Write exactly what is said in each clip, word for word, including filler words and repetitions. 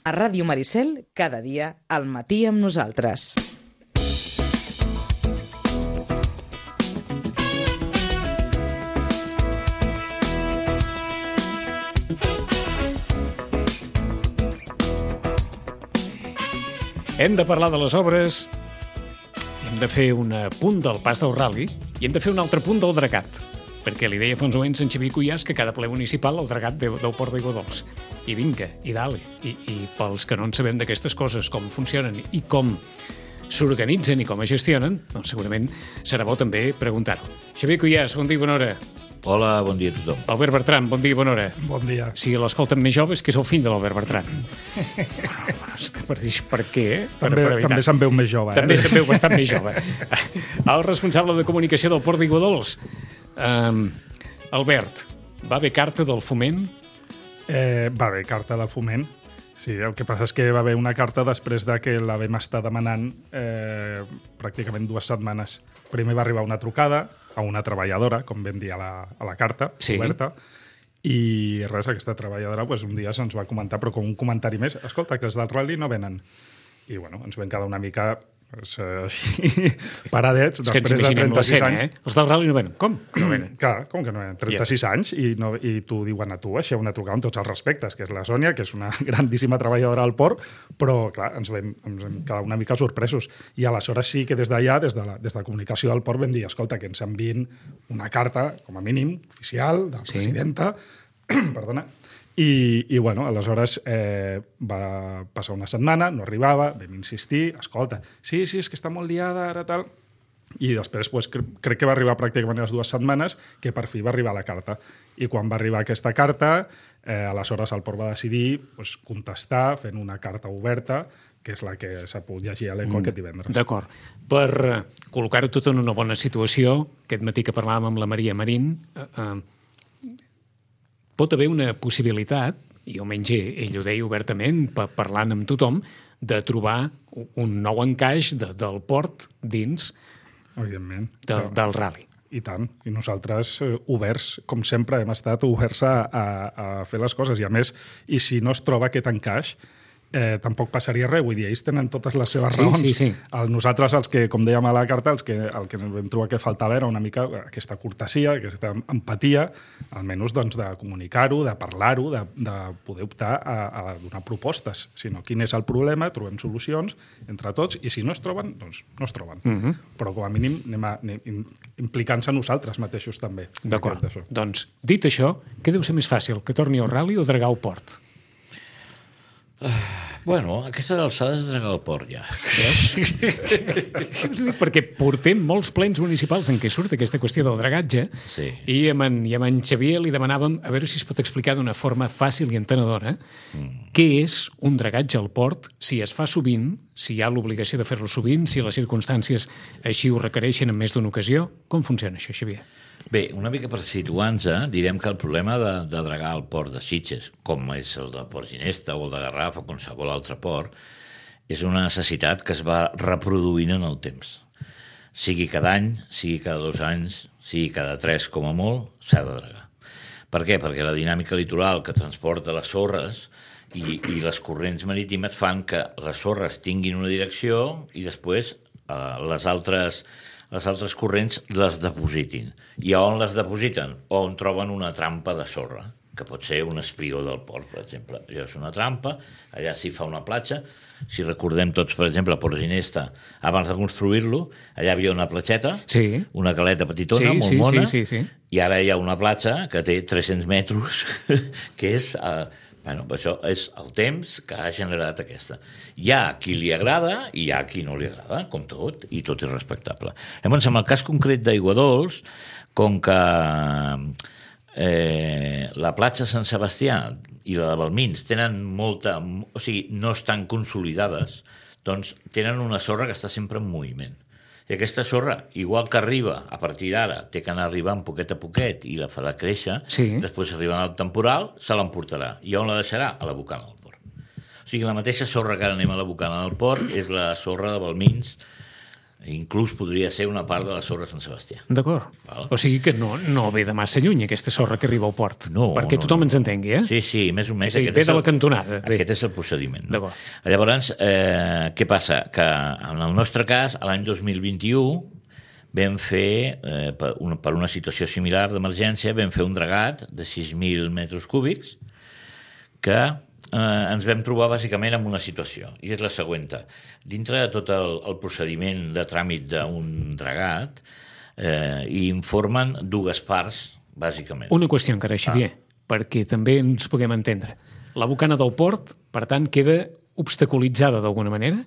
A Ràdio Maricel, cada dia, al matí amb nosaltres. Hem de parlar de les obres, hem de fer un punt del pas del Rally i hem de fer un altre punt del Dragat, perquè li deia fa uns moments en Xavier Cuyàs que cada ple municipal el Dragat del Port d'Aiguadols. I vinga, i dale. I, I pels que no en sabem d'aquestes coses, com funcionen i com s'organitzen i com es gestionen, doncs segurament serà bo també preguntar-ho. Xavier Cuyàs, bon dia i bona hora. Hola, bon dia a tothom. Albert Bertran, bon dia i bona hora. Bon dia. Si l'escolten més joves, que és el fill de l'Albert Bertran. per dir per què, eh? Per, també, per també se'n veu més jove. Eh? També se'n veu bastant més jove. El responsable de comunicació del Port d'Aiguadols. Um, Albert, va haver carta del Foment? Eh, va haver carta del Foment. Sí, el que passa és que va haver una carta després de que la vam estar demanant eh, pràcticament dues setmanes. Primer va arribar una trucada a una treballadora, com vam dir a la, a la carta, sí. Oberta, i res, aquesta treballadora pues, un dia se'ns va comentar, però com un comentari més, escolta, que els del Rally no venen. I bueno, ens vam quedar una mica pues, així, paradets, és després de trenta-sis escena, anys. Eh? Els del Rally no venen. Com? Que no venen? Clar, com que no venen? trenta-sis yes. anys i, no, i t'ho diuen a tu, així una trucada amb tots els respectes, que és la Sònia, que és una grandíssima treballadora al port, però clar, ens vam, ens vam quedar una mica sorpresos. I aleshores sí que des d'allà, des de la, des de la comunicació del port, vam dir, escolta, que ens enviïn una carta, com a mínim, oficial, de la sí. presidenta, perdona, I, i bueno, aleshores eh, va passar una setmana, no arribava, vam insistir, escolta, sí, sí, és que està molt liada ara, tal... I després pues, cre crec que va arribar pràcticament les dues setmanes que per fi va arribar la carta. I quan va arribar aquesta carta, eh, aleshores el port va decidir pues, contestar fent una carta oberta, que és la que s'ha pogut llegir a l'Eco mm, aquest divendres. D'acord. Per uh, col·locar-ho tot en una bona situació, aquest matí que parlàvem amb la Maria Marín, eh, uh, pot haver una possibilitat, i almenys ell ho deia obertament, parlant amb tothom, de trobar un nou encaix de, del port dins Evidentment. Del, del Rally. I tant. I nosaltres, eh, oberts, com sempre, hem estat oberts a, a, a fer les coses. I a més, i si no es troba aquest encaix, eh, tampoc passaria res. Vull dir, ells tenen totes les seves sí, raons. Sí, sí. El, nosaltres, els que, com dèiem a la carta, els que, el que vam trobar que faltava era una mica aquesta cortesia, aquesta empatia, almenys doncs, de comunicar-ho, de parlar-ho, de, de poder optar a, a donar propostes. Si no, quin és el problema, trobem solucions entre tots, i si no es troben, doncs no es troben. Uh -huh. Però com a mínim anem, a, anem implicant-se nosaltres mateixos també. D'acord. Doncs, dit això, què deu ser més fàcil, que torni al Rally o dragar al port? Uh, bueno, aquestes alçades de dragar al port ja. Perquè portem molts plens municipals en què surt aquesta qüestió del dragatge sí. i, amb en, i amb en Xavier li demanàvem a veure si es pot explicar d'una forma fàcil i entenedora mm. què és un dragatge al port, si es fa sovint, si hi ha l'obligació de fer-lo sovint, si les circumstàncies així ho requereixen en més d'una ocasió. Com funciona això, Xavier? Bé, una mica per situar-nos, eh, direm que el problema de, de dragar al port de Sitges, com és el de Port Ginesta o el de Garraf o qualsevol altre port, és una necessitat que es va reproduint en el temps. Sigui cada any, sigui cada dos anys, sigui cada tres com a molt, s'ha de dragar. Per què? Perquè la dinàmica litoral que transporta les sorres i, i les corrents marítimes fan que les sorres tinguin una direcció i després eh, les altres... les altres corrents les depositin. I on les depositen? On troben una trampa de sorra, que pot ser un espigó del port, per exemple. Allò és una trampa, allà s'hi fa una platja. Si recordem tots, per exemple, a Port Ginesta, abans de construir-lo, allà hi havia una platgeta, sí. una caleta petitona, sí, molt sí, mona, sí, sí, sí. i ara hi ha una platja que té tres-cents metres, que és... Eh, Bueno, això és el temps que ha generat aquesta. Hi ha qui li agrada i hi ha qui no li agrada, com tot, i tot és respectable. Llavors, en el cas concret d'Aiguadols, com que eh, la platja Sant Sebastià i la de Balmins tenen molta... O sigui, no estan consolidades, doncs tenen una sorra que està sempre en moviment. I aquesta sorra, igual que arriba, a partir d'ara, té que anar arribant poquet a poquet i la farà créixer, sí. Després arriba el temporal, se l'emportarà. I on la deixarà? A la bocana del port. O sigui, la mateixa sorra que ara anem a la bocana del port és la sorra de Balmins, Inclús podria ser una part de la sorra Sant Sebastià. D'acord. Val. O sigui que no, no ve de massa lluny aquesta sorra que arriba al port. No, perquè no, tothom no. ens entengui, eh? Sí, sí, més o menys. És a dir, ve de la cantonada. Bé. Aquest és el procediment. No? D'acord. Llavors, eh, què passa? Que en el nostre cas, l'any dos mil vint-i-u, vam fer, eh, per, una, per una situació similar d'emergència, vam fer un dragat de sis mil metres cúbics que eh, ens vam trobar bàsicament en una situació, i és la següent. Dintre de tot el, el procediment de tràmit d'un dragat, eh, hi informen dues parts, bàsicament. Una qüestió encara, Xavier, ah. perquè també ens puguem entendre. La bocana del port, per tant, queda obstaculitzada d'alguna manera?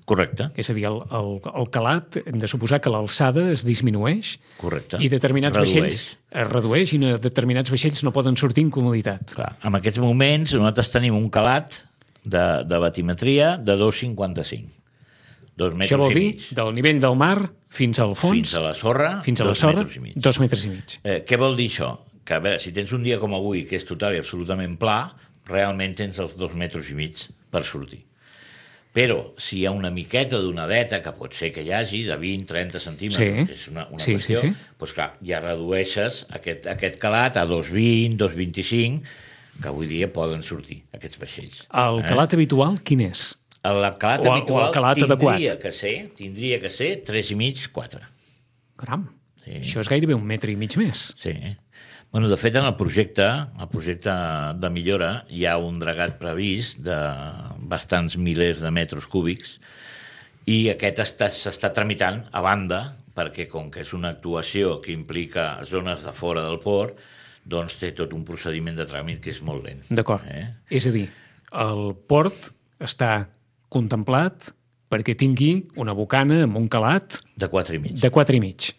Correcte. És a dir, el, el, el calat, hem de suposar que l'alçada es disminueix. Correcte. I determinats Redueix. vaixells es redueix i determinats vaixells no poden sortir en comoditat. Clar, en aquests moments nosaltres tenim un calat de, de batimetria de dos coma cinquanta-cinc. Dos metres Això vol i dir, mig. del nivell del mar fins al fons... Fins a la sorra, fins a la dos sorra, metres i mig. dos metres i mig. Eh, què vol dir això? Que, a veure, si tens un dia com avui, que és total i absolutament pla, realment tens els dos metres i mig per sortir. Però si hi ha una miqueta d'onadeta, que pot ser que hi hagi, de vint a trenta centímetres, Sí. que és una, una Sí, qüestió, sí, sí. doncs clar, ja redueixes aquest, aquest calat a dos coma vint, dos coma vint-i-cinc, que avui dia poden sortir, aquests vaixells. El calat habitual, quin és? El calat O el- o el habitual calat tindria adequat. que ser, tindria que ser tres i mig, quatre. Caram, Sí. això és gairebé un metre i mig més. Sí. Bueno, de fet, en el projecte, el projecte de millora, hi ha un dragat previst de bastants milers de metres cúbics i aquest està- s'està tramitant a banda, perquè com que és una actuació que implica zones de fora del port, doncs té tot un procediment de tràmit que és molt lent. D'acord. Eh? És a dir, el port està contemplat perquè tingui una bocana amb un calat De quatre i mig. de quatre i mig.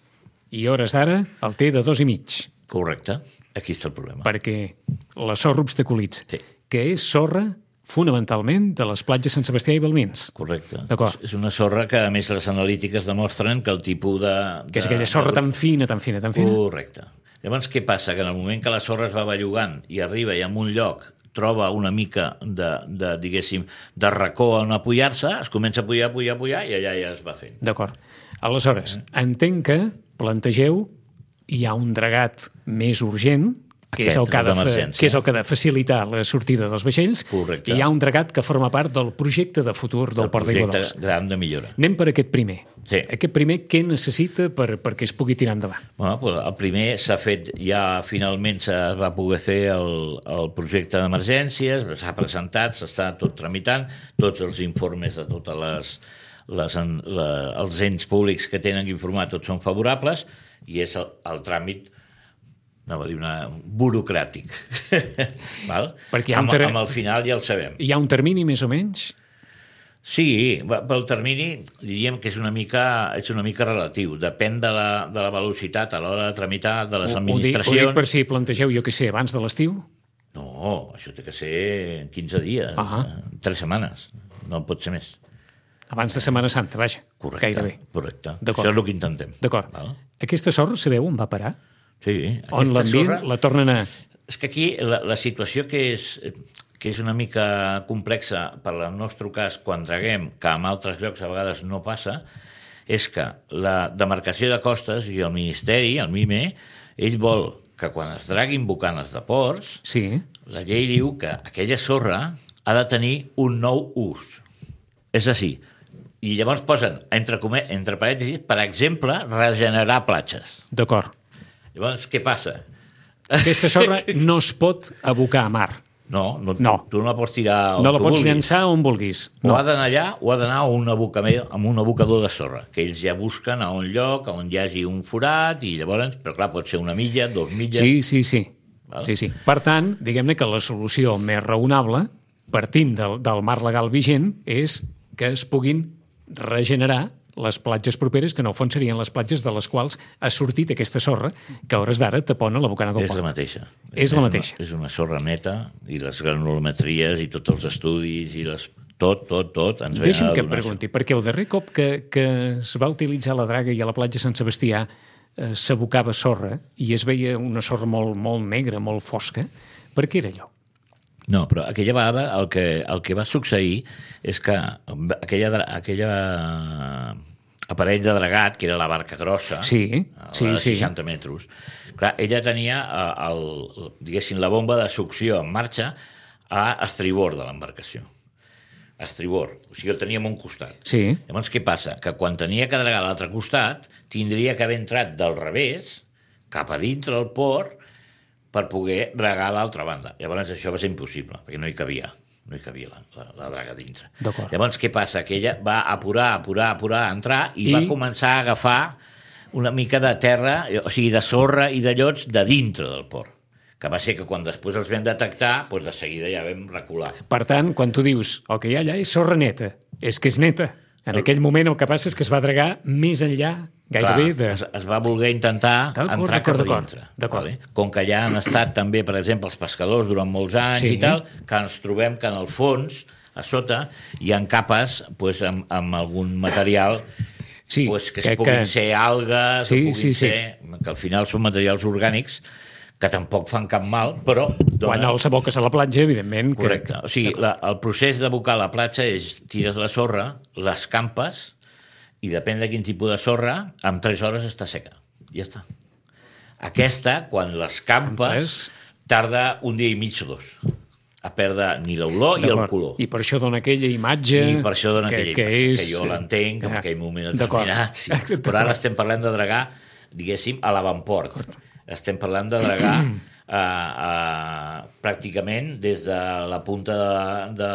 I a hores d'ara el té de dos i mig, Correcte. Aquí està el problema. perquè la sorra obstaculitza, Sí. que és sorra fonamentalment de les platges Sant Sebastià i Balmins. Correcte. D'acord. És una sorra que, a més, les analítiques demostren que el tipus de... Que és de- aquella sorra de- tan fina, tan fina, tan fina. Correcte. Llavors, què passa? Que en el moment que la sorra es va bellugant i arriba i en un lloc troba una mica de, de diguéssim, de racó on apoyar-se, es comença a apoyar, apoyar, apoyar, i allà ja es va fent. D'acord. Aleshores, entenc que plantegeu hi ha un dragat més urgent, que és, Aquest, el que, ha de el fa, d'emergència. que és el que ha de facilitar la sortida dels vaixells, Correcte. i hi ha un dragat que forma part del projecte de futur del El Port d'Aigua projecte Dolça. gran de millora. Anem per aquest primer. Sí. Aquest primer, què necessita per, perquè es pugui tirar endavant? Bueno, doncs el primer s'ha fet, ja finalment se va poder fer el, el projecte d'emergències, s'ha presentat, s'està tot tramitant, tots els informes de totes les, les, la, els ens públics que tenen que informar, tots són favorables, i és el, el tràmit anava a dir una, burocràtic. Val? Perquè hi ha un amb, ter- amb el final ja el sabem. Hi ha un termini més o menys? Sí, va- pel termini diríem que és una mica, és una mica relatiu. Depèn de la, de la velocitat a l'hora de tramitar de les Ho, ho, dic, ho administracions. dic per si plantegeu, jo què sé, abans de l'estiu? No, això té que ser en quinze dies, Ahà. eh, tres setmanes, no pot ser més. Abans de Setmana Santa, vaja. Correcte, Gairebé. correcte. D'acord. Això és el que intentem. D'acord. Val? Aquesta sorra, sabeu on va parar? Sí, On aquesta l'envien? sorra- La tornen a... És que aquí la, la situació que és, que és una mica complexa per al nostre cas quan draguem, que en altres llocs a vegades no passa, és que la demarcació de costes i el Ministeri, el MIME, ell vol que quan es draguin bocanes de ports, Sí, la llei diu que aquella sorra ha de tenir un nou ús. És a dir, i llavors posen, entre, come- entre parèntesis, per exemple, regenerar platges. d'acord. Llavors, què passa? Aquesta sorra no es pot abocar a mar. No, no, No. tu no la pots tirar on No la tu pots vulguis. llançar on vulguis. O No. ha d'anar allà o ha d'anar a un abocador, amb un abocador de sorra, que ells ja busquen a un lloc on hi hagi un forat, i llavors, però clar, pot ser una milla, dos milles... Sí, sí, sí. Val. sí, sí. Per tant, diguem-ne que la solució més raonable, partint del, del marc legal vigent, és que es puguin regenerar les platges properes, que en el fons serien les platges de les quals ha sortit aquesta sorra, que a hores d'ara tapona la bocana del És port. la mateixa. És la una- mateixa. És una sorra neta, i les granulometries i tots els estudis, i les... tot, tot, tot, ens venen Deixa'm a que et donar pregunti, perquè el darrer cop que, que es va utilitzar la draga i a la platja Sant Sebastià eh, s'abocava sorra i es veia una sorra molt, molt negra, molt fosca, per què era allò? No, però aquella vegada el que, el que va succeir és que aquella, dra- aquella aparell de dragat, que era la barca grossa, Sí, sí, de sí. seixanta metres. Clar, ella tenia, el, el, diguéssim, la bomba de succió en marxa a estribord de l'embarcació. A estribord. O sigui, el teníem a un costat. Sí. Llavors, què passa? Que quan tenia que dragar a l'altre costat, tindria que haver entrat del revés, cap a dintre del port, per poder dragar a l'altra banda. Llavors, això va ser impossible, perquè no hi cabia. No hi cabia la, la, la draga dintre. Llavors, què passa? Que ella va apurar, apurar, apurar, entrar i, I va començar a agafar una mica de terra, o sigui, de sorra i de llots de dintre del port. Que va ser que quan després els vam detectar, doncs de seguida ja vam recular. Per tant, quan tu dius el que hi ha allà és sorra neta, és que és neta. En el... aquell moment el que passa és que es va dragar més enllà, gairebé Clar, de... Es, es va voler intentar entrar cap a dintre. Vale? Com que ja han estat també, per exemple, els pescadors durant molts anys sí. i tal, que ens trobem que en el fons, a sota, hi ha capes pues, amb, amb algun material sí, pues, que, que es puguin que... ser algues, sí, que puguin sí, sí. ser... que al final són materials orgànics que tampoc fan cap mal, però... Dona... Quan els aboques a la platja, evidentment... Correcte. Que... O sigui, la, el procés d'abocar a la platja és tires la sorra, les campes, i depèn de quin tipus de sorra, en tres hores està seca. Ja està. Aquesta, quan les campes, tarda un dia i mig o dos a perdre ni l'olor i el color. I per això dona aquella imatge... I per això dona que, aquella que imatge, és... és... que jo l'entenc, en aquell moment determinat. Sí. Però ara estem parlant de dragar, diguéssim, a l'avantport. Estem parlant de dragar uh, uh, pràcticament des de la punta del de,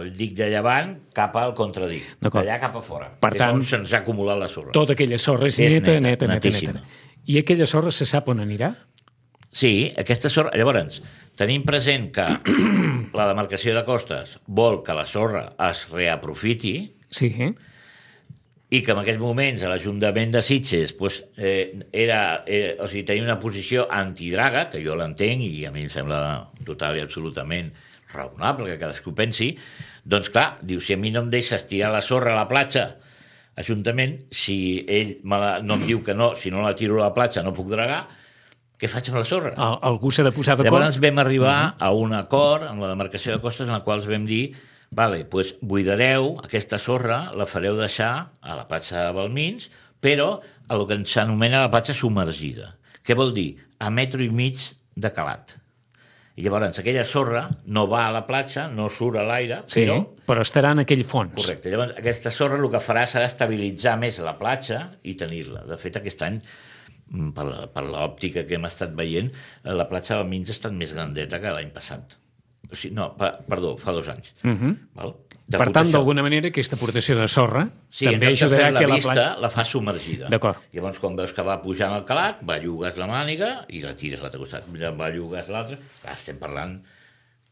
de dic de llevant cap al contradic, d'allà cap a fora. Per tant, és on se'ns ha acumulat la sorra. Tota aquella sorra és, és neta, neta, neta, neta, neta. I aquella sorra se sap on anirà? Sí, aquesta sorra... Llavors, tenim present que la demarcació de costes vol que la sorra es reaprofiti, sí, eh? i que en aquests moments a l'Ajuntament de Sitges pues, eh, era, eh, o sigui, tenia una posició antidraga, que jo l'entenc i a mi em sembla total i absolutament raonable que cadascú pensi, doncs clar, diu, si a mi no em deixes tirar la sorra a la platja, Ajuntament, si ell me la, no em diu que no, si no la tiro a la platja no puc dragar, què faig amb la sorra? Al, algú s'ha de posar d'acord? Llavors vam arribar uh-huh. a un acord amb la demarcació de costes en la qual vam dir vale, doncs buidareu aquesta sorra, la fareu deixar a la platja de Balmins, però a el que s'anomena la platja submergida. Què vol dir? A metro i mig de calat. I llavors aquella sorra no va a la platja, no surt a l'aire, sí, però... però estarà en aquell fons. Correcte. Llavors aquesta sorra el que farà serà estabilitzar més la platja i tenir-la. De fet, aquest any, per, per l'òptica que hem estat veient, la platja de Balmins ha estat més grandeta que l'any passat. O sigui, no, pa, perdó, fa dos anys. Uh-huh. Val? Per tant, d'alguna manera, aquesta aportació de sorra sí, també ajudarà la que la vista platja... la fa submergida. D'acord. Llavors, quan veus que va pujant el calat, va llogues la màniga i la tires a l'altre costat. Va llogues l'altre. Clar, estem parlant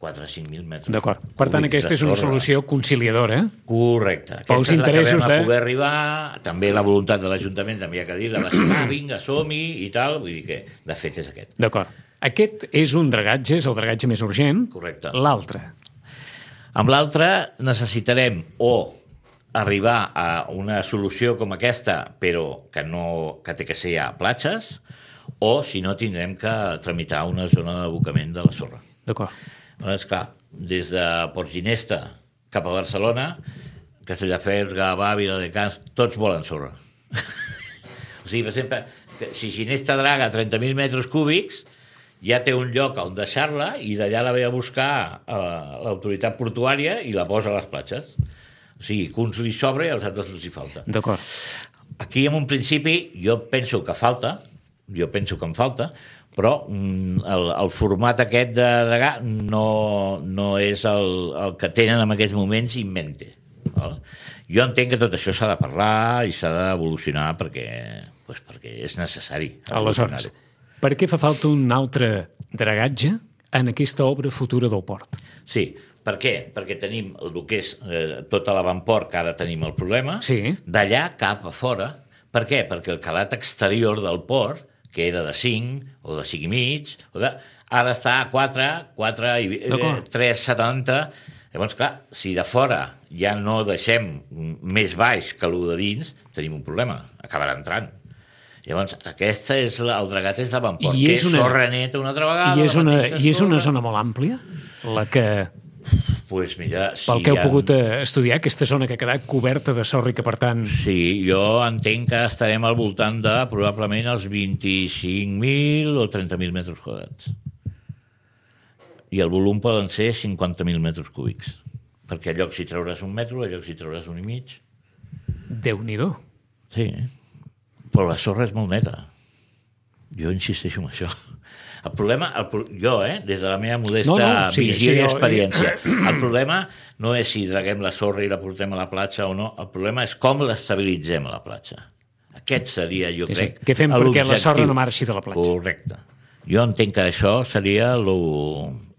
quatre o cinc mil metres. D'acord. Per tant, aquesta és una solució conciliadora. Correcte. Aquesta és la que vam a poder arribar. També la voluntat de l'Ajuntament, també hi ha que dir, la va ser, ah, vinga, som-hi i tal. Vull dir que, de fet, és aquest. D'acord. Aquest és un dragatge, és el dragatge més urgent. Correcte. L'altre. Amb l'altre necessitarem o arribar a una solució com aquesta, però que, no, que té que ser a platges, o si no tindrem que tramitar una zona d'abocament de la sorra. D'acord. Doncs clar, des de Port Ginesta cap a Barcelona, Castelldefels, Gavà, Viladecans, tots volen sorra. O sigui, per exemple, que si Ginesta draga trenta mil metres cúbics, ja té un lloc on deixar-la i d'allà la ve a buscar a l'autoritat portuària i la posa a les platges. O sigui, que uns li sobra i als altres els hi falta. D'acord. Aquí, en un principi, jo penso que falta, jo penso que em falta, però el, el format aquest de dragar no, no és el, el que tenen en aquests moments in mente. Val? Jo entenc que tot això s'ha de parlar i s'ha d'evolucionar perquè, doncs perquè és necessari. Aleshores, per què fa falta un altre dragatge en aquesta obra futura del port? Sí, per què? Perquè tenim el que és eh, tot a l'avantport, que ara tenim el problema, sí. D'allà cap a fora. Per què? Perquè el calat exterior del port, que era de cinc o de cinc i mig, o de, ara està a quatre, quatre i eh, tres coma setanta. Llavors, clar, si de fora ja no deixem més baix que el de dins, tenim un problema, acabarà entrant. Llavors, aquesta és la, el dragat és l'avantport, que és una, sorra neta una altra vegada. I és, una, i és una zona molt àmplia, la que... Pues mira, Pel si que heu ha... pogut estudiar, aquesta zona que ha quedat coberta de sorra i que, per tant... Sí, jo entenc que estarem al voltant de probablement els vint-i-cinc mil o trenta mil metres quadrats. I el volum poden ser cinquanta mil metres cúbics. Perquè a llocs hi trauràs un metro, a llocs hi trauràs un i mig. Déu-n'hi-do. Sí, però la sorra és molt neta. Jo insisteixo en això. El problema, el, jo, eh, des de la meva modesta no, no, sí, visió sí, i jo, experiència, el problema no és si traguem la sorra i la portem a la platja o no, el problema és com l'estabilitzem a la platja. Aquest seria, jo sí, crec, sí. Què fem perquè la sorra no marxi de la platja? Correcte. Jo entenc que això seria lo,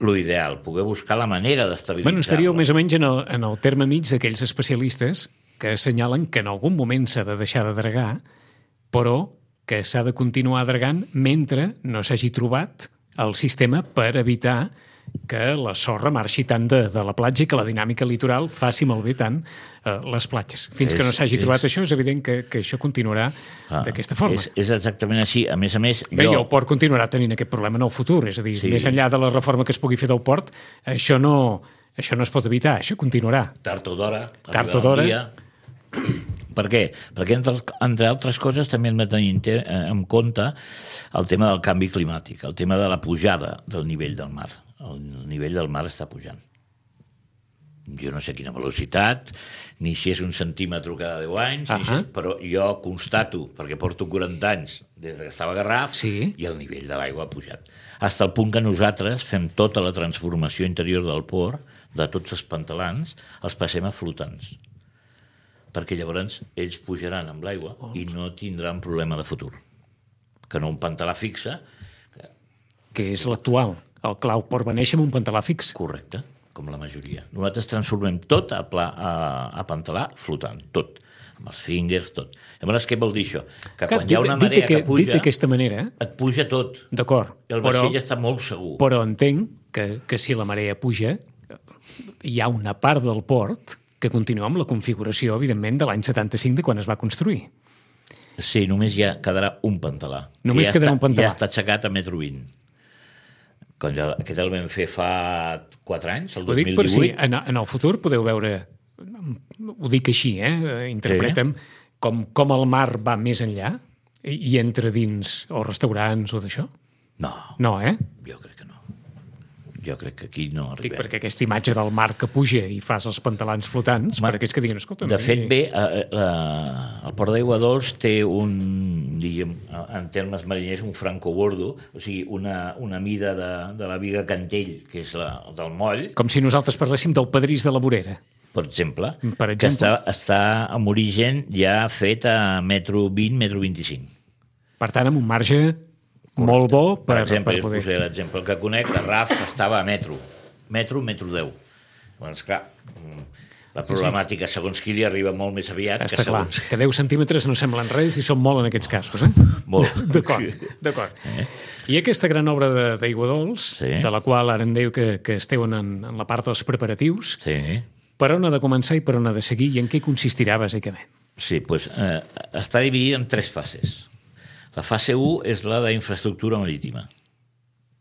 lo ideal, poder buscar la manera d'estabilitzar-la. Bueno, estaríeu més o menys en el, en el terme mig d'aquells especialistes que assenyalen que en algun moment s'ha de deixar de dragar, però que s'ha de continuar dragant mentre no s'hagi trobat el sistema per evitar que la sorra marxi tant de, de la platja i que la dinàmica litoral faci malbé tant eh, les platges. Fins és, que no s'hagi trobat això, és evident que, que això continuarà ah, d'aquesta forma. És, és exactament així. A més a més... Bé, jo... i el port continuarà tenint aquest problema en el futur. És a dir, sí. Més enllà de la reforma que es pugui fer del port, això no, això no es pot evitar, això continuarà. Tard o d'hora. Tard o d'hora. Per què? Perquè, entre, entre altres coses, també hem de tenir en compte el tema del canvi climàtic, el tema de la pujada del nivell del mar. El nivell del mar està pujant. Jo no sé quina velocitat, ni si és un centímetre cada deu anys, uh -huh. ni si és, però jo constato, perquè porto quaranta anys des que estava a Garraf, sí. i el nivell de l'aigua ha pujat. Fins al punt que nosaltres fem tota la transformació interior del port, de tots els pantalans, els passem a flotants. Perquè llavors ells pujaran amb l'aigua oh. i no tindran problema de futur. Que no un pantalà fixe... Que és l'actual. El Clau Port va néixer amb un pantalà fix. Correcte, com la majoria. Nosaltres transformem tot a, pla, a, a pantalà flotant, tot. Amb els fingers, tot. Llavors, què vol dir això? Que quan hi ha una marea que puja... Dit d'aquesta manera... Et puja tot. D'acord. I el vaixell està molt segur. Però entenc que, que si la marea puja, hi ha una part del port que continua amb la configuració, evidentment, de l'any setanta-cinc, de quan es va construir. Sí, només ja quedarà un pantalà. Només ja quedarà està, un pantalà. Ja està aixecat a metro vint. Quan ja, aquest el vam fer fa quatre anys, el dos mil divuit. Ho dic per si en, en el futur podeu veure, ho dic així, eh? Interpretem, sí. com, com el mar va més enllà i, i entra dins els restaurants o d'això? No. No, eh? Jo crec que no. Jo crec que aquí no arribem. Dic perquè aquesta imatge del mar que puja i fas els pantalans flotants, Ma, per aquells que diguen, escolta... De fet, bé, eh, eh, el Port d'Aigua Dols té un, diguem, en termes mariners, un francobordo, o sigui, una, una mida de, de la viga Cantell, que és la del moll. Com si nosaltres parléssim del Pedrís de la Vorera. Per exemple, per exemple. que està, està amb origen ja fet a metro vint, metro vint-i-cinc. Per tant, amb un marge... Correcte. Molt bo per, per exemple, per poder... us posaré l'exemple que conec, la Raf estava a metro, metro, metro deu. Doncs clar, la problemàtica segons qui li arriba molt més aviat. Està que clar, segons... que deu centímetres no semblen res i són molt en aquests casos, eh? Molt. D'acord, d'acord. Eh? I aquesta gran obra d'Aigua Dols, sí. de la qual ara em diu que, que esteu en, en la part dels preparatius, sí. per on ha de començar i per on ha de seguir i en què consistirà, bàsicament? Sí, doncs eh, està dividit en tres fases. La fase u és la d'infraestructura marítima.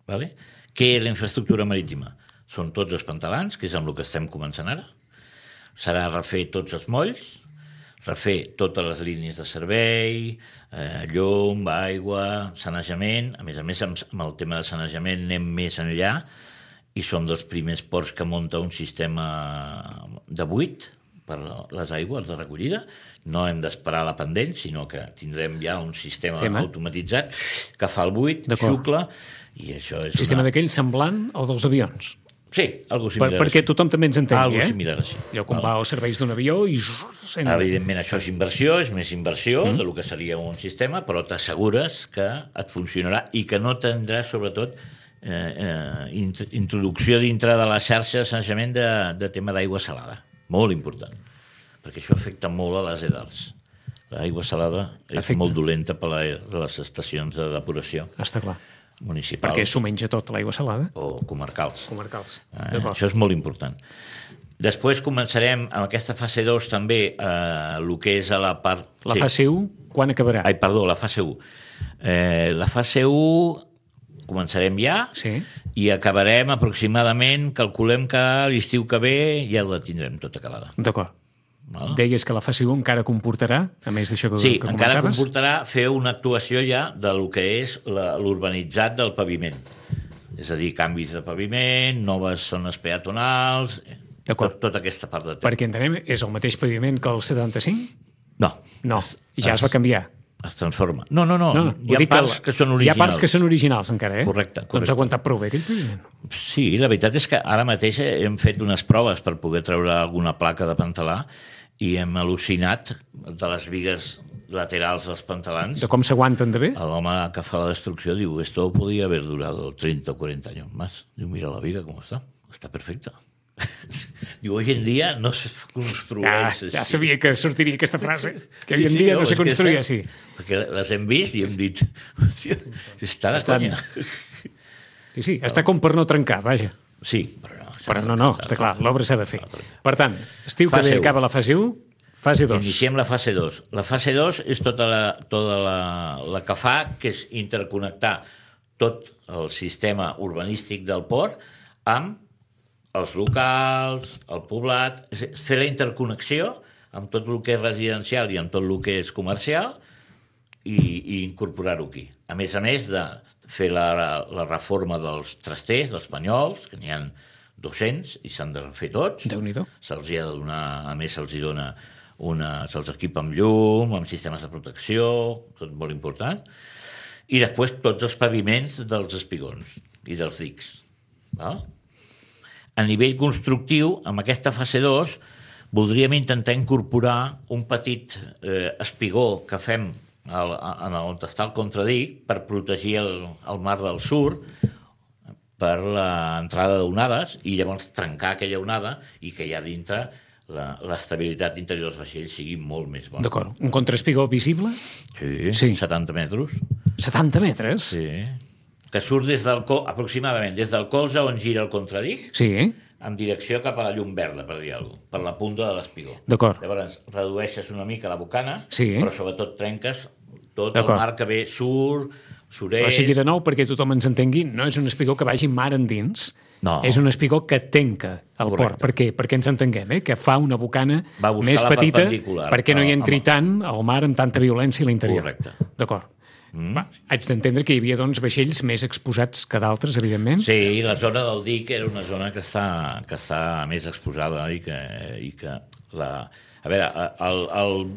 Vale? Què és la infraestructura marítima? Són tots els pantalans, que és amb el que estem començant ara. Serà refer tots els molls, refer totes les línies de servei, eh, llum, aigua, sanejament. A més a més, amb, amb el tema de sanejament anem més enllà i som dels primers ports que munta un sistema de buit per les aigües de recollida. No hem d'esperar la pendent, sinó que tindrem ja un sistema Tema. automatitzat que fa el buit, xucla, i això és... Un sistema una... d'aquell semblant al dels avions. Sí, algo similar. Per, perquè tothom també ens entengui, algo eh? similar així. Allò com va als serveis d'un avió i... Evidentment, això és inversió, és més inversió mm. del que seria un sistema, però t'assegures que et funcionarà i que no tindràs, sobretot, eh, eh, introducció dintre de la xarxa de sanejament de, de tema d'aigua salada. Molt important. Perquè això afecta molt a les edars. L'aigua salada és afecta. molt dolenta per a les estacions de depuració. Està clar. Municipals. Perquè s'ho menja tot, l'aigua salada. O comarcals. Comarcals. Eh, això és molt important. Després començarem amb aquesta fase dos també eh, el que és a la part... La sí. fase u, quan acabarà? Ai, perdó, la fase u. Eh, la fase u començarem ja, Sí. i acabarem aproximadament, calculem que l'estiu que ve ja la tindrem tota acabada. D'acord. Val? Deies que la fase un encara comportarà, a més d'això que, Sí, que encara comentaves? comportarà fer una actuació ja de lo que és la- l'urbanitzat del paviment. És a dir, canvis de paviment, noves zones peatonals, D'acord. tot, tota aquesta part de temps. Perquè entenem, és el mateix paviment que el setanta-cinc? No, No, ja es va canviar. es transforma. No, no, no, No, hi ha vull dir parts el- que són Hi ha originals. parts que són originals encara, eh? Correcte, Doncs correcte. ha aguantat prou bé aquell paviment. Sí, la veritat és que ara mateix hem fet unes proves per poder treure alguna placa de pantalà i hem al·lucinat de les vigues laterals dels pantalans. De com s'aguanten de bé? L'home que fa la destrucció diu, esto podía haber durado treinta o cuarenta años más. Diu, mira la viga com està, està perfecta. Diu, hoy en dia no se Ja, construeix ja així. sabia que sortiria aquesta frase, que Sí, avui en sí, dia no és se que construïa està- així. Perquè les hem vist i hem dit, hòstia, està de Estan- conya. Sí, sí, està com per no trencar, vaja. Sí, però no. Però no, no, està clar, l'obra s'ha de fer. Per tant, estiu que Fase ve u. acaba la fase u, fase dos. Iniciem la fase dos. La fase dos és tota la, tota la, la que fa, que és interconnectar tot el sistema urbanístic del port amb els locals, el poblat, és fer la interconnexió amb tot el que és residencial i amb tot el que és comercial i, i incorporar-ho aquí. A més a més de fer la, la reforma dels trasters, dels panyols, que n'hi ha dos-cents i s'han de refer tots. Déu-n'hi-do. Se'ls hi ha de donar, a més se'ls hi dona una, se'ls equipa amb llum, amb sistemes de protecció, tot molt important. I després tots els paviments dels espigons i dels dics. Val? A nivell constructiu, amb aquesta fase dos, voldríem intentar incorporar un petit eh, espigó que fem al, en on està el contradic per protegir el, el mar del sur per l'entrada d'onades i llavors trencar aquella onada i que allà dintre la- l'estabilitat interior dels vaixells sigui molt més bona. D'acord. Un contraespigó visible, Sí, Sí. setanta metres. setanta metres. Sí. Que surt des del col, aproximadament des del colze on gira el contradic, Sí, eh? en direcció cap a la llum verda, per dir alguna cosa, per la punta de l'espigó. D'acord. Llavors redueixes una mica la bocana, Sí. però sobretot trenques tot el D'acord. mar que ve sur, surest... O sigui, de nou, perquè tothom ens entengui, no és un espigó que vagi mar endins, No. és un espigó que tanca el Correcte. port. Per què? Perquè ens entenguem, eh? Que fa una bocana Va buscar més la petita perpendicular perquè no hi a- entri amb- tant el mar amb tanta violència a l'interior. Correcte. D'acord. Mm. Va, haig d'entendre que hi havia doncs, vaixells més exposats que d'altres, evidentment. Sí, i la zona del dic era una zona que està, que està més exposada i que, i que la... A veure, el, el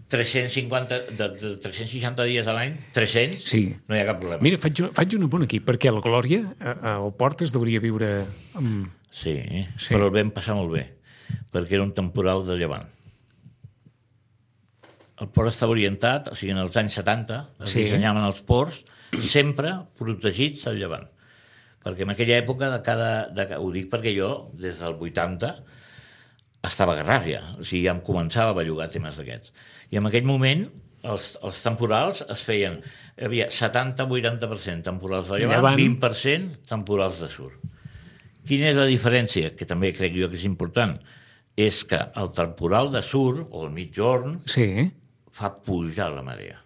tres-cents cinquanta, de, de tres-cents seixanta dies a l'any, tres-cents, Sí. no hi ha cap problema. Mira, faig, faig un apunt aquí, perquè la Glòria, a- al port, es deuria viure amb... Sí, Sí. sí, però el vam passar molt bé, perquè era un temporal de llevant. El port estava orientat, o sigui, en els anys setanta es Sí. dissenyaven els ports sempre protegits al llevant. Perquè en aquella època, de cada, de, ho dic perquè jo, des del vuitanta, estava a Garrària, o sigui, ja em començava a bellugar temes d'aquests. I en aquell moment els, els temporals es feien, hi havia setanta a vuitanta per cent temporals de llevant, Llevant. vint per cent temporals de sur. Quina és la diferència? Que també crec jo que és important. És que el temporal de sur, o el mitjorn, Sí, fa pujar la marea.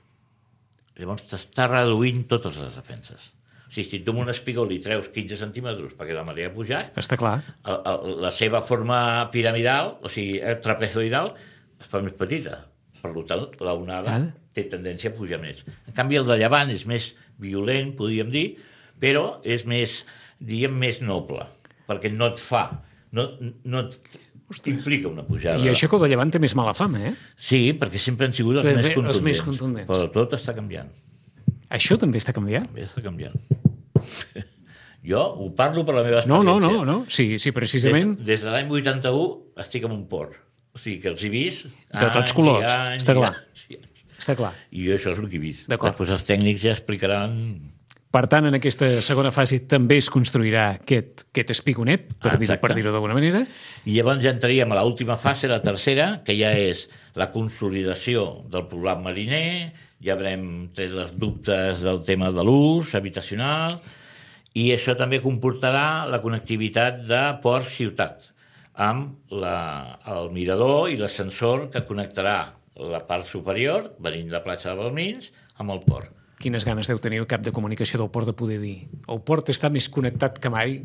Llavors t'està reduint totes les defenses. O sigui, si tu amb un espigó li treus quinze centímetres perquè la marea ha pujat, està clar. el, el, la seva forma piramidal, o sigui, el trapezoidal, es fa més petita. Per tant, la onada Ara. té tendència a pujar més. En canvi, el de llevant és més violent, podríem dir, però és més, diguem, més noble, perquè no et fa, no, no t'implica una pujada. I això que el de Llevant té més mala fama, eh? Sí, perquè sempre han sigut els, Bé, més, bé, els contundents, més contundents. Però tot està canviant. Això també està canviant? També està canviant. Jo ho parlo per la meva No, experiència. no, no, no. Sí, sí, precisament Des, des de l'any vuitanta-u estic en un port. O sigui que els he vist... De tots anys i colors, anys està i clar. anys i anys. està clar. I jo això és el que he vist. D'acord. Després els tècnics ja explicaran... Per tant, en aquesta segona fase també es construirà aquest, aquest espigonet, per Ah, dir-ho exacte. per dir-ho d'alguna manera. I llavors ja entraríem a l'última fase, la tercera, que ja és la consolidació del poblat mariner, ja haurem tret les dubtes del tema de l'ús habitacional, i això també comportarà la connectivitat de port-ciutat, amb la, el mirador i l'ascensor que connectarà la part superior, venint de la platja de Balmins, amb el port. quines ganes deu tenir el cap de comunicació del port de poder dir el port està més connectat que mai.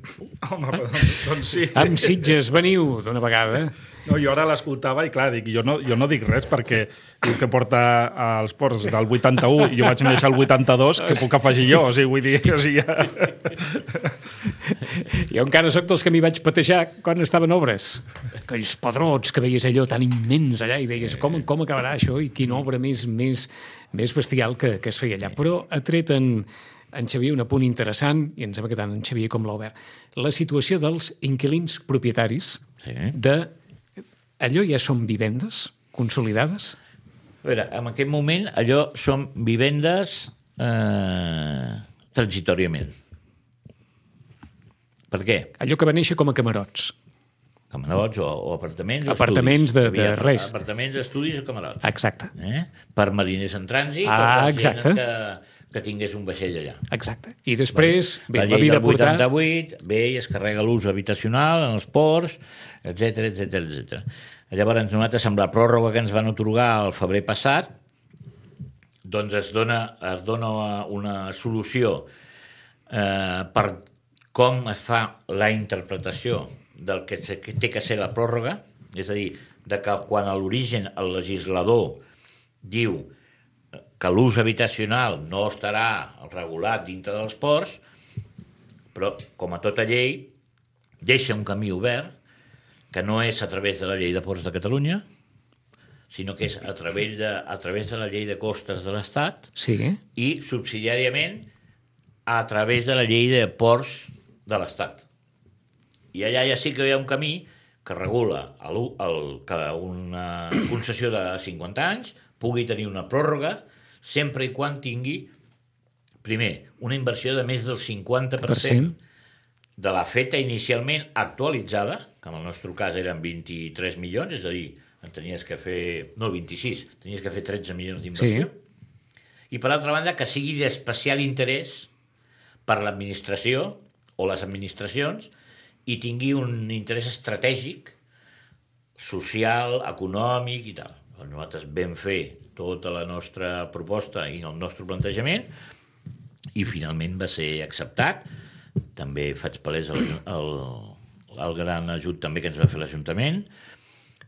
Home, doncs, doncs sí. Amb Sitges, veniu d'una vegada. No, jo ara l'escoltava i clar, dic, jo, no, jo no dic res perquè diu que porta als ports del vuitanta-u i jo vaig néixer al vuitanta-dos, que puc afegir jo, o sigui, vull dir... O sigui, ja... Jo encara soc dels que m'hi vaig patejar quan estaven obres. Aquells pedrots que veies allò tan immens allà i deies com, com acabarà això i quina obra més, més, més bestial que, que es feia allà. Però ha tret en, en Xavier un apunt interessant, i em sembla que tant en Xavier com l'Albert, la situació dels inquilins propietaris Sí. de... Allò ja són vivendes consolidades? A veure, en aquest moment allò són vivendes eh, transitòriament. Per què? Allò que va néixer com a camarots. Camarots o, o apartaments o Apartaments estudis. de- de Hi havia res. Apartaments, estudis o camarots. Exacte. Eh? Per mariners en trànsit Ah, o per exacte. gent que, que tingués un vaixell allà. Exacte. I després, bé, la la llei vida del portar... vuitanta-vuit ve i es carrega l'ús habitacional en els ports, etcètera, etcètera, etcètera. Llavors, nosaltres, amb la pròrroga que ens van otorgar el febrer passat, doncs es dona, es dona una solució eh, per com es fa la interpretació del que, se, que té que ser la pròrroga, és a dir, de que quan a l'origen el legislador diu que l'ús habitacional no estarà regulat dintre dels ports, però, com a tota llei, deixa un camí obert, que no és a través de la llei de ports de Catalunya, sinó que és a través de, a través de la llei de costes de l'Estat Sí. i, subsidiàriament, a través de la llei de ports de l'Estat. I allà ja sí que hi ha un camí que regula el, el, que una concessió de cinquanta anys pugui tenir una pròrroga sempre i quan tingui, primer, una inversió de més del cinquanta per cent de la feta inicialment actualitzada, que en el nostre cas eren vint-i-tres milions, és a dir, en tenies que fer... No, vint-i-sis, tenies que fer tretze milions d'inversió. Sí. I, per altra banda, que sigui d'especial interès per l'administració o les administracions i tingui un interès estratègic, social, econòmic i tal. Nosaltres vam fer tota la nostra proposta i el nostre plantejament i finalment va ser acceptat. També faig palès el, el, el gran ajut també que ens va fer l'Ajuntament.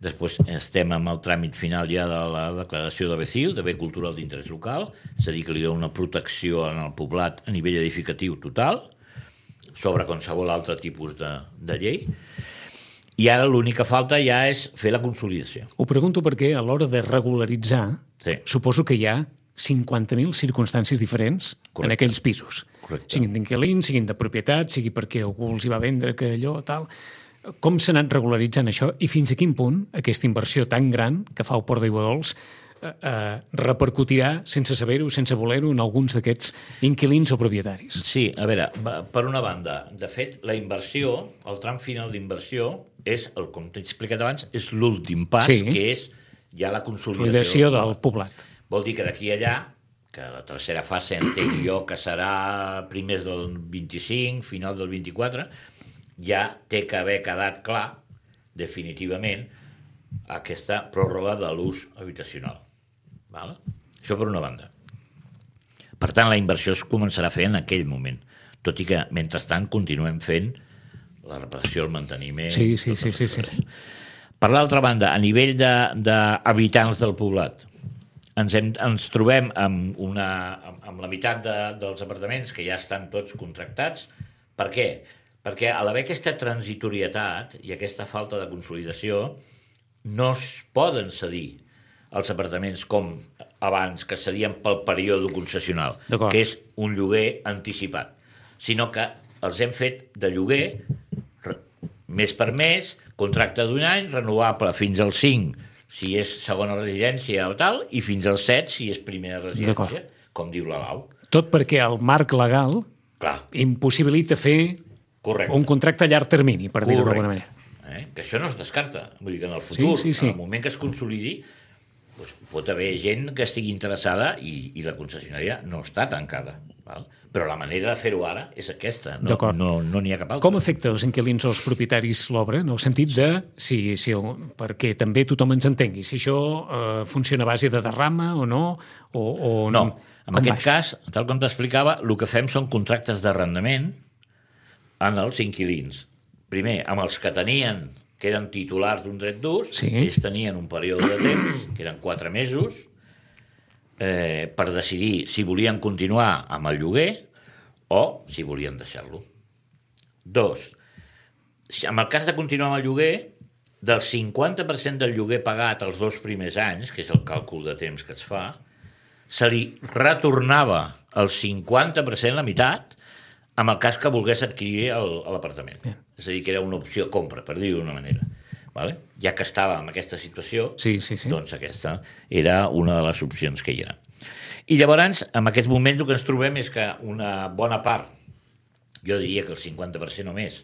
Després estem amb el tràmit final ja de la declaració de B C I L, de bé cultural d'interès local, és a dir, que li dona una protecció en el poblat a nivell edificatiu total, sobre qualsevol altre tipus de, de llei. I ara l'única falta ja és fer la consolidació. Ho pregunto perquè a l'hora de regularitzar, Sí. suposo que hi ha cinquanta mil circumstàncies diferents Correcte. en aquells pisos. Correcte. Siguin d'inquilins, siguin de propietat, sigui perquè algú els hi va vendre que allò, tal. Com s'ha anat regularitzant això i fins a quin punt aquesta inversió tan gran que fa el Port d'Aiguadols eh, eh, repercutirà, sense saber-ho, sense voler-ho, en alguns d'aquests inquilins o propietaris? Sí, a veure, per una banda, de fet, la inversió, el tram final d'inversió, és, el, com t'he explicat abans, és l'últim pas, Sí. que és ja la consolidació. Consolidació del poblat. Vol dir que d'aquí a allà, que la tercera fase entenc jo que serà primers del vint-i-cinc, final del vint-i-quatre, ja té que haver quedat clar, definitivament, aquesta pròrroga de l'ús habitacional. Val? Això per una banda. Per tant, la inversió es començarà a fer en aquell moment, tot i que, mentrestant, continuem fent la reparació, el manteniment... Sí, sí, totes sí, les sí, coses. sí. Per l'altra banda, a nivell d'habitants de, del poblat, ens, hem, ens trobem amb, una, amb, amb la meitat de, dels apartaments que ja estan tots contractats. Per què? Perquè a l'haver aquesta transitorietat i aquesta falta de consolidació no es poden cedir els apartaments com abans, que cedien pel període concessional, que és un lloguer anticipat, sinó que els hem fet de lloguer mes per mes, contracte d'un any, renovable fins al cinc, si és segona residència o tal, i fins al set, si és primera residència, com diu la Lau. Tot perquè el marc legal Clar. impossibilita fer Correcte. un contracte a llarg termini, per dir-ho d'alguna manera. Eh? Que això no es descarta. Vull dir que en el futur, sí, sí, sí. en el moment que es consolidi, doncs, pot haver gent que estigui interessada i, i la concessionària no està tancada. Val? Però la manera de fer-ho ara és aquesta, no D'acord. no, no n'hi ha cap altra. Com afecta els inquilins o els propietaris l'obra? En el sentit de, si, si, perquè també tothom ens entengui, si això eh, funciona a base de derrama o no? O, o No, en com aquest va? cas, tal com t'explicava, el que fem són contractes d'arrendament en els inquilins. Primer, amb els que tenien, que eren titulars d'un dret d'ús, Sí. ells tenien un període de temps, que eren quatre mesos, eh, per decidir si volien continuar amb el lloguer o si volien deixar-lo. Dos, si- en el cas de continuar amb el lloguer, del cinquanta per cent del lloguer pagat els dos primers anys, que és el càlcul de temps que es fa, se li retornava el cinquanta per cent, la meitat, amb el cas que volgués adquirir el- l'apartament. És a dir, que era una opció compra, per dir-ho d'una manera. Vale? Ja que estava en aquesta situació, Sí, sí, sí. doncs aquesta era una de les opcions que hi era. I llavors, en aquests moments, el que ens trobem és que una bona part, jo diria que el cinquanta per cent o més,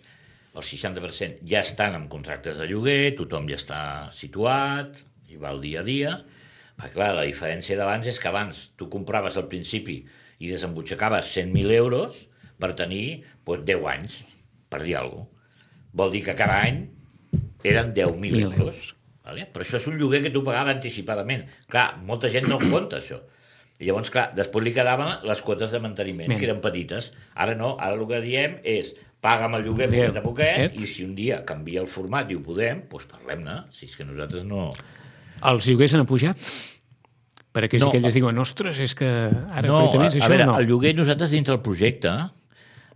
el seixanta per cent ja estan en contractes de lloguer, tothom ja està situat, i va el dia a dia. Perquè, clar, la diferència d'abans és que abans tu compraves al principi i desembutxacaves cent mil euros per tenir doncs, deu anys, per dir alguna cosa. Vol dir que cada any eren deu mil Mil euros. euros. Vale? Però això és un lloguer que tu pagava anticipadament. Clar, molta gent no compta això. I llavors, clar, després li quedaven les quotes de manteniment, Ben. que eren petites. Ara no, ara el que diem és paga'm el lloguer Lloguer, poquet a poquet, poquet. i si un dia canvia el format i ho podem, doncs parlem-ne. Si és que nosaltres no... Els lloguers han pujat? Per aquells No, no, que ells diuen, ostres, és que ara No, a, precisament és a això veure, no. el lloguer nosaltres dintre del projecte,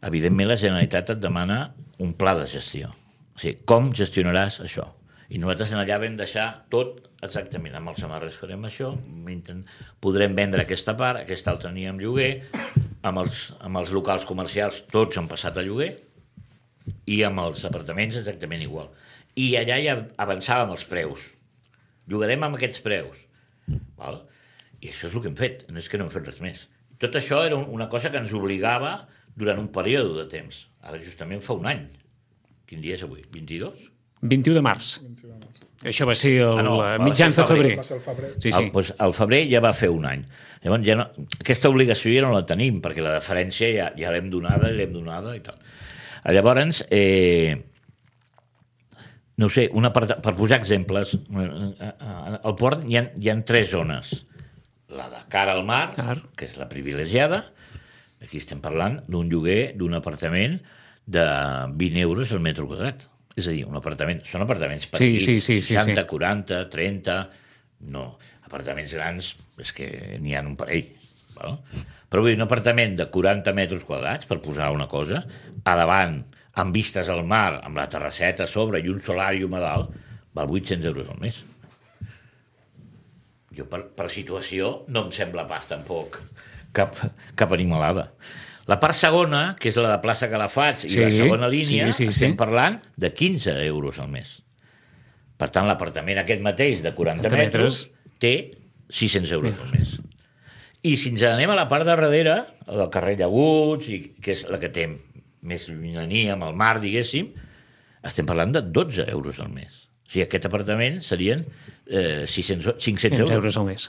evidentment la Generalitat et demana un pla de gestió. O sigui, com gestionaràs això? I nosaltres en allà vam deixar tot exactament. Amb els amarres farem això, intent- podrem vendre aquesta part, aquesta altra anirà amb lloguer, amb els, amb els locals comercials tots han passat a lloguer, i amb els apartaments exactament igual. I allà ja avançàvem els preus. Llogarem amb aquests preus. Val? I això és el que hem fet, no és que no hem fet res més. Tot això era una cosa que ens obligava durant un període de temps. Ara justament fa un any. Quin dia és avui? vint-i-dos? vint-i-u de març. Això va ser el Ah, no, eh, va mitjans ser de el febrer. febrer. Va ser el febrer. Sí, Al, sí. doncs, al febrer ja va fer un any. Llavors, ja no, aquesta obligació ja no la tenim, perquè la deferència ja, ja l'hem donada i l'hem donada i tal. Llavors, eh, no ho sé, una part, per posar exemples, eh, al port hi ha, hi ha tres zones. La de cara al mar, Clar. que és la privilegiada. Aquí estem parlant d'un lloguer d'un apartament de vint euros al metre quadrat. És a dir, un apartament... Són apartaments petits, sí, sí, sí, seixanta, sí. quaranta, trenta... No, apartaments grans, és que n'hi ha un parell. Val? Però vull dir, un apartament de quaranta metres quadrats, per posar una cosa, a davant, amb vistes al mar, amb la terrasseta a sobre i un solàrium a dalt, val vuit-cents euros al mes. Jo, per, per situació, no em sembla pas tampoc cap, cap animalada. La part segona, que és la de plaça Calafats i Sí, la segona línia, sí, sí, estem sí. parlant de quinze euros al mes. Per tant, l'apartament aquest mateix de quaranta quaranta metres té sis-cents euros al mes. I si ens anem a la part de darrere, al carrer Llaguts, i, que és la que té més llunyania amb el mar, diguéssim, estem parlant de dotze euros al mes. O sigui, aquest apartament serien eh, sis-cents, cinc-cents cent euros. euros al mes.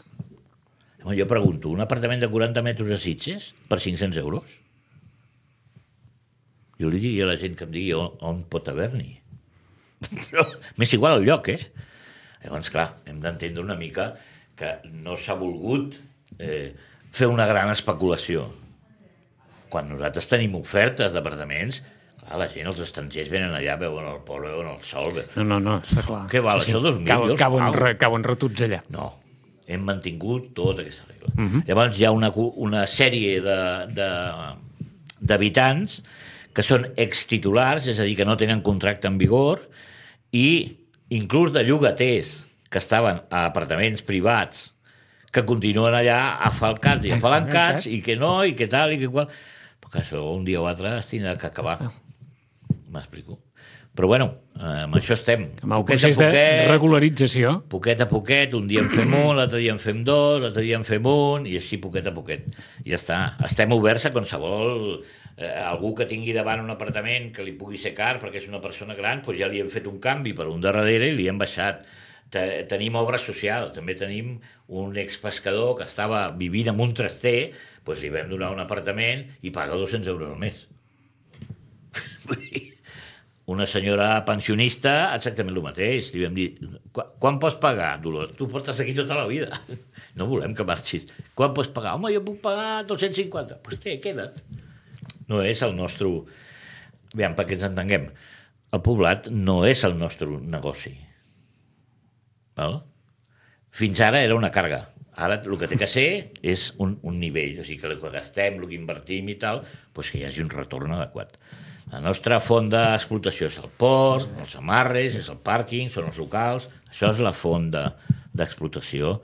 Jo pregunto, un apartament de quaranta metres a Sitges per cinc-cents euros? Jo li diria a la gent que em digui on, on pot haver-n'hi. Però m'és igual el lloc, eh? Llavors, clar, hem d'entendre una mica que no s'ha volgut eh, fer una gran especulació. Quan nosaltres tenim ofertes d'apartaments, clar, la gent, els estrangers venen allà, veuen el port, veuen el sol... Veuen... No, no, no, està clar. Què val, això, dos mil? Cauen, Jo els cauen, pago. re, cauen retuts allà. No, hem mantingut tota aquesta regla. Uh -huh. Llavors hi ha una, una sèrie de, de, d'habitants que són extitulars, és a dir, que no tenen contracte en vigor, i inclús de llogaters que estaven a apartaments privats que continuen allà afalcats i apalancats i que no, i que tal, i que qual... Però que això un dia o altre es tindrà que acabar. M'explico. Però bueno, eh, amb això estem. Amb el Poquet a procés de poquet, regularització. poquet a poquet, un dia en fem un, l'altre dia en fem dos, l'altre dia en fem un, i així poquet a poquet. I ja està. Estem oberts a qualsevol... Eh, algú que tingui davant un apartament que li pugui ser car perquè és una persona gran, doncs ja li hem fet un canvi per un de darrere i li hem baixat te, tenim obra social, també tenim un expescador que estava vivint en un traster, doncs li vam donar un apartament i paga dos-cents euros al mes. Una senyora pensionista, exactament el mateix. Li vam dir, quan pots pagar, Dolors? Tu portes aquí tota la vida. No volem que marxis. Quan pots pagar? Home, jo puc pagar dos-cents cinquanta. Doncs pues té, queda't. No és el nostre... Aviam, perquè ens entenguem. El poblat no és el nostre negoci. Val? Fins ara era una càrrega. Ara el que té que ser és un, un nivell. O sigui, que el que gastem, el que invertim i tal, doncs que hi hagi un retorn adequat. La nostra font d'explotació és el port, els amarres, és el pàrquing, són els locals. Això és la font d'explotació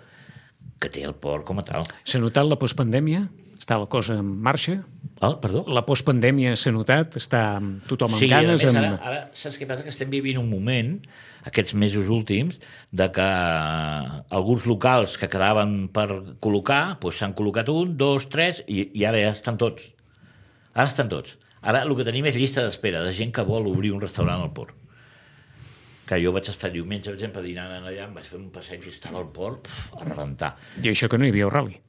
que té el port com a tal. S'ha notat la postpandèmia? Està la cosa en marxa? Ah, perdó? La postpandèmia s'ha notat? Està tothom amb sí, ganes? Sí, a més, amb... ara, ara saps què passa? Que estem vivint un moment, aquests mesos últims, de que alguns locals que quedaven per col·locar, doncs s'han col·locat un, dos, tres, i, i ara ja estan tots. Ara estan tots. Ara el que tenim és llista d'espera de gent que vol obrir un restaurant al port. Que jo vaig estar diumenge, per exemple, dinant allà, em vaig fer un passeig i estava al port pf, a rebentar. I això que no hi havia el rally.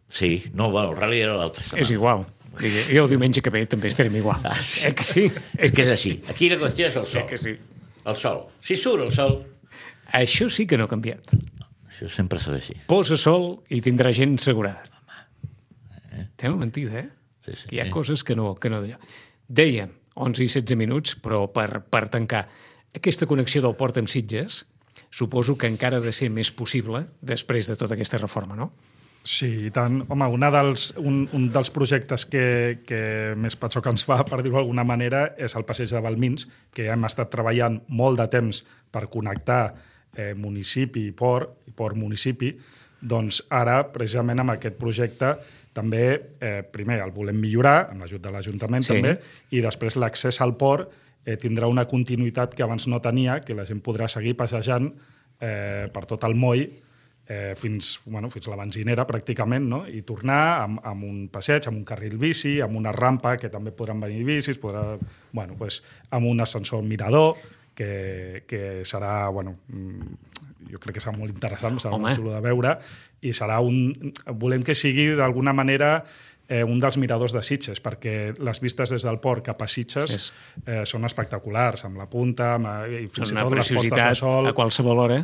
Sí, no, bueno, el rally era l'altre setmana. És igual. Jo el diumenge que ve també estarem igual. Ah, sí. Eh que sí? És que és així. Aquí la qüestió és el sol. Eh que sí? El sol. Si surt el sol... Això sí que no ha canviat. Això sempre serà així. Posa sol i tindrà gent assegurada. Eh? Té una mentida, eh? Sí, sí. Hi ha coses que no... Que no Dèiem, onze i setze minuts, però per, per tancar aquesta connexió del port amb Sitges, suposo que encara ha de ser més possible després de tota aquesta reforma, no? Sí, i tant. Home, una dels, un, un dels projectes que, que més patxoc ens fa, per dir-ho d'alguna manera, és el passeig de Balmins, que ja hem estat treballant molt de temps per connectar eh, municipi i port, i port-municipi. Doncs ara, precisament amb aquest projecte, també, eh, primer, el volem millorar, amb l'ajut de l'Ajuntament sí. també, i després l'accés al port eh, tindrà una continuïtat que abans no tenia, que la gent podrà seguir passejant eh, per tot el moll eh, fins, bueno, fins a la benzinera, pràcticament, no? I tornar amb, amb un passeig, amb un carril bici, amb una rampa, que també podran venir bicis, podrà, bueno, pues, amb un ascensor mirador, que, que serà, bueno, jo crec que serà molt interessant, serà Home. molt xulo de veure, i serà un... Volem que sigui, d'alguna manera, eh, un dels miradors de Sitges, perquè les vistes des del port cap a Sitges sí. eh, són espectaculars, amb la punta, amb, i fins i tot les postes de sol... a qualsevol hora.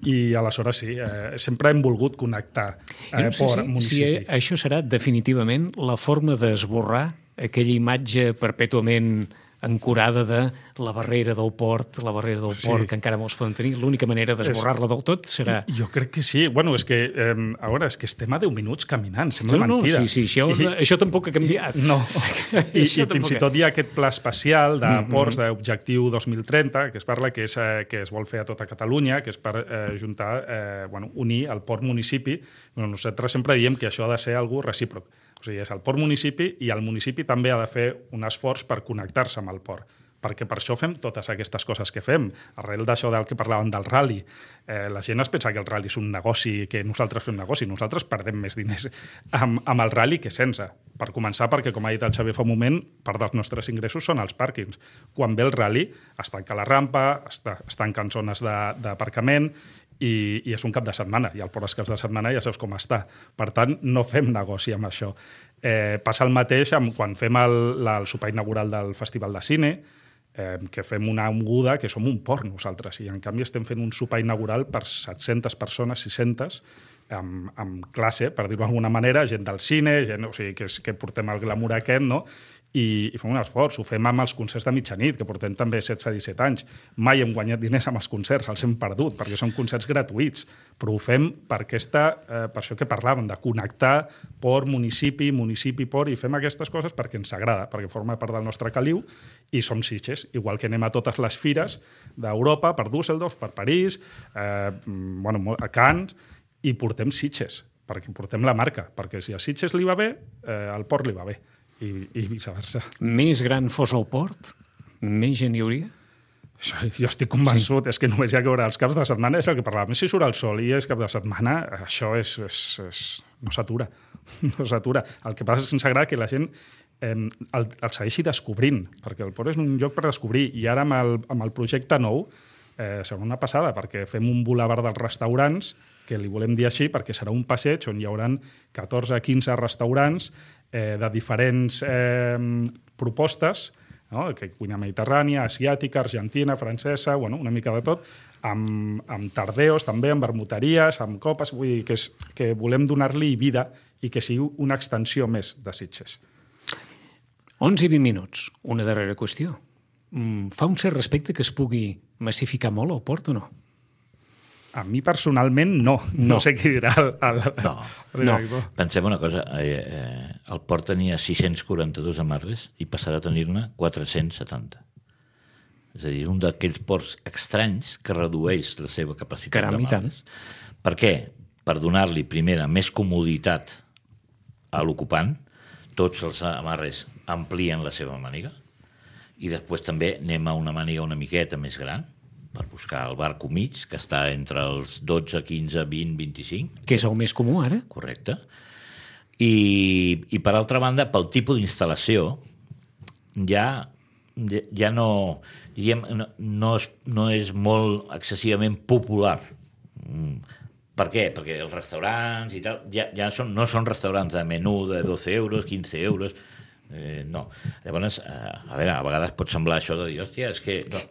I aleshores sí, eh, sempre hem volgut connectar eh, no sé port, si, municipi. Si això serà definitivament la forma d'esborrar aquella imatge perpètuament ancorada de la barrera del port, la barrera del port, sí. que encara molts poden tenir. L'única manera d'esborrar-la del tot serà... Jo crec que sí. Bueno, és que, eh, a veure, és que estem a deu minuts caminant, sembla no, no, mentida. Sí, sí, això, I, això tampoc ha canviat. No, i, i fins i tot hi ha aquest pla especial de mm-hmm. ports d'objectiu dos mil trenta, que es parla que, és, eh, que es vol fer a tota Catalunya, que és per eh, juntar, eh, bueno, unir el port-municipi. Bueno, nosaltres sempre diem que això ha de ser algú recíproc. O sigui, és el port-municipi i el municipi també ha de fer un esforç per connectar-se amb el port, perquè per això fem totes aquestes coses que fem. Arrel d'això del que parlàvem del rally, eh, la gent es pensa que el rally és un negoci, que nosaltres fem negoci, nosaltres perdem més diners amb, amb el rally que sense. Per començar, perquè, com ha dit el Xavier fa un moment, part dels nostres ingressos són els pàrquings. Quan ve el rally, es tanca la rampa, es, es tanquen zones d'aparcament, I, i és un cap de setmana, i el port els caps de setmana ja saps com està. Per tant, no fem negoci amb això. Eh, passa el mateix amb, quan fem el, la, el sopar inaugural del Festival de Cine, eh, que fem una moguda, que som un port nosaltres, i en canvi estem fent un sopar inaugural per set-centes persones, sis-centes, amb, amb classe, per dir-ho d'alguna manera, gent del cine, gent, o sigui, que, és, que portem el glamour aquest, no?, I, i fem un esforç. Ho fem amb els concerts de mitjanit, que portem també setze a disset anys. Mai hem guanyat diners amb els concerts, els hem perdut, perquè són concerts gratuïts, però ho fem per, aquesta, eh, per això que parlàvem, de connectar port, municipi, municipi, port, i fem aquestes coses perquè ens agrada, perquè forma part del nostre caliu, i som Sitges, igual que anem a totes les fires d'Europa, per Düsseldorf, per París, eh, bueno, a Cannes, i portem Sitges, perquè portem la marca, perquè si a Sitges li va bé, eh, al port li va bé. I, i viceversa. Més gran fos el port, més gent hi hauria? Això, jo estic convençut, sí. És que només hi ha que veure els caps de setmana, és el que parlàvem. Si surt el sol i és cap de setmana, això és, és, és, no s'atura. No s'atura. El que passa és que ens agrada que la gent eh, el, el segueixi descobrint, perquè el port és un lloc per descobrir, i ara amb el, amb el projecte nou eh, serà una passada, perquè fem un bulevard dels restaurants, que li volem dir així, perquè serà un passeig on hi haurà catorze a quinze restaurants eh, de diferents eh, propostes, no? Que cuina mediterrània, asiàtica, argentina, francesa, bueno, una mica de tot, amb, amb tardeos també, amb vermuteries, amb copes, vull dir que, és, que volem donar-li vida i que sigui una extensió més de Sitges. onze i vint minuts. Una darrera qüestió. Mm, fa un cert respecte que es pugui massificar molt el port o no? A mi personalment no. No, no sé qui dirà el, el, No, el no. director. Pensem una cosa, eh, eh, el port tenia sis-cents quaranta-dos amarres i passarà a tenir-ne quatre-cents setanta. És a dir, un d'aquells ports estranys que redueix la seva capacitat Caram, i tant. d'amarres. Per què? Per donar-li, primera, més comoditat a l'ocupant. Tots els amarres amplien la seva màniga i després també anem a una màniga una miqueta més gran per buscar el barco mig, que està entre els dotze, quinze, vint, vint-i-cinc. Que és el més comú ara? Correcte. I, i per altra banda, pel tipus d'instal·lació, ja, ja no, diguem, no, no, és, no és molt excessivament popular. Per què? Perquè els restaurants i tal ja, ja són, no són restaurants de menú de dotze euros, quinze euros. Eh, no. Llavors, eh, a veure, a vegades pot semblar això de dir, hòstia, és que, no,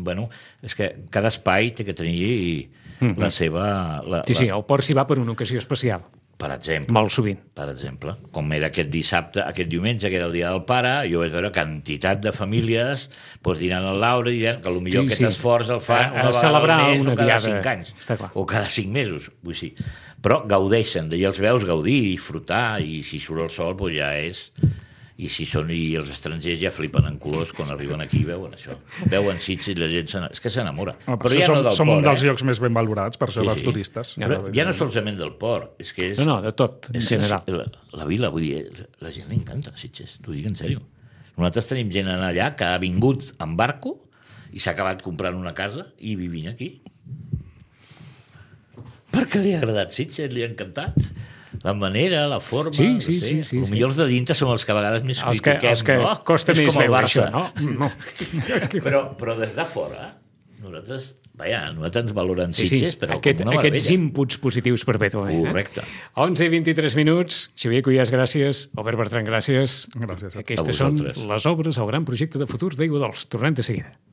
bueno, és que cada espai té que tenir mm-hmm. la seva... La, Sí, sí, la... el port s'hi va per una ocasió especial. Per exemple. Molt sovint. Per exemple. Com era aquest dissabte, aquest diumenge, que era el dia del pare, jo vaig veure quantitat de famílies doncs, dinant al Laura i dient que potser Sí, aquest sí. esforç el fan A- a una vegada celebrar al mes una o cada diada. cinc anys. Està clar. O cada cinc mesos. Vull dir. Però gaudeixen, i els veus gaudir i disfrutar, i si surt el sol doncs ja és... I si són i els estrangers ja flipen en colors quan arriben aquí i veuen això. Veuen Sitges i la gent s'enamora. És que s'enamora. Ah, Però ja ja som, no del som port, un dels eh? llocs més ben valorats, per això Sí, dels sí. turistes. Però ja no solament del port, és que és... No, no, de tot, en és general. La, la vila, vull dir, la gent li encanta Sitges, t'ho dic en sèrio. Nosaltres tenim gent allà que ha vingut en barco i s'ha acabat comprant una casa i vivint aquí. Perquè li ha agradat Sitges, li ha encantat. La manera, la forma... Sí, no sí, sé. sí, sí, Potser sí. els de dintre són els que a vegades més Els que, critiquem, els que no? costa És més com el veure Barça. això, no? No. Però, però des de fora, nosaltres, vaja, nosaltres ens valoren Sí, sí, Sitges, però aquest, com una aquests meravella. inputs positius perpètuament. Correcte. Eh? onze i vint-i-tres minuts. Xavier Cuyàs, gràcies. Albert Bertran, gràcies. Gràcies a Aquestes a són vosaltres. les obres, el gran projecte de futur d'Aigua Dols. Tornem de seguida.